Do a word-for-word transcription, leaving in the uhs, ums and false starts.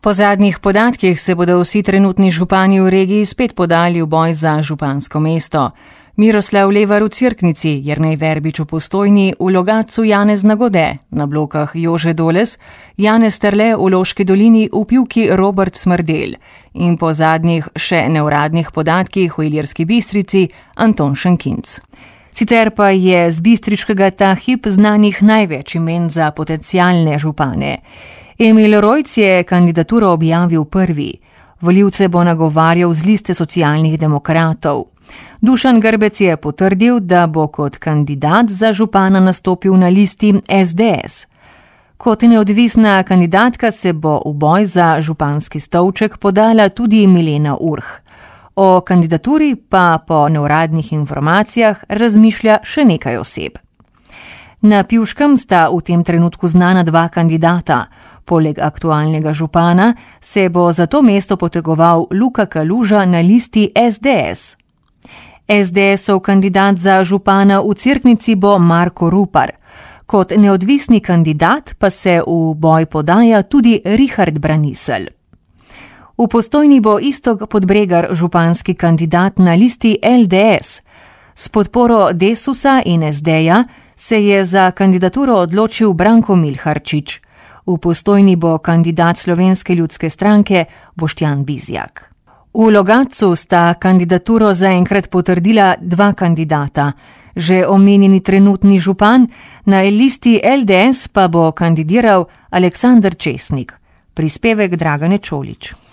Po zadnjih podatkih se bodo vsi trenutni župani v regiji spet podali v boj za župansko mesto. Miroslav Levar v Cerknici, Jernej Verbič v Postojni, v Logatcu Janez Nagode, na blokah Jože Doles, Janez Terle v Loški dolini, v Pivki Robert Smrdel in po zadnjih še neuradnih podatkih v Ilirski Bistrici Anton Šenkinc. Sicer pa je z bistriškega ta hip znanih največ imen za potencialne župane. Emil Rojc je kandidaturo objavil prvi. Volivce bo nagovarjal z liste socialnih demokratov. Dušan Grbec je potrdil, da bo kot kandidat za župana nastopil na listi es de es. Kot neodvisna kandidatka se bo v boj za županski stolček podala tudi Milena Urh. O kandidaturi pa po neuradnih informacijah razmišlja še nekaj oseb. Na Pivškem sta v tem trenutku znana dva kandidata. Poleg aktualnega župana se bo za to mesto potegoval Luka Kaluža na listi es de es. es de esov kandidat za župana v Cerknici bo Marko Rupar. Kot neodvisni kandidat pa se v boj podaja tudi Richard Braniselj. V Postojni bo Iztok Podbregar županski kandidat na listi el de es. S podporo Desusa in es deja se je za kandidaturo odločil Branko Milharčič. V Postojni bo kandidat Slovenske ljudske stranke Boštjan Bizjak. V Logatcu sta kandidaturo zaenkrat potrdila dva kandidata. Že omenjeni trenutni župan, na listi el de es pa bo kandidiral Aleksander Česnik. Prispevek Dragane Čolič.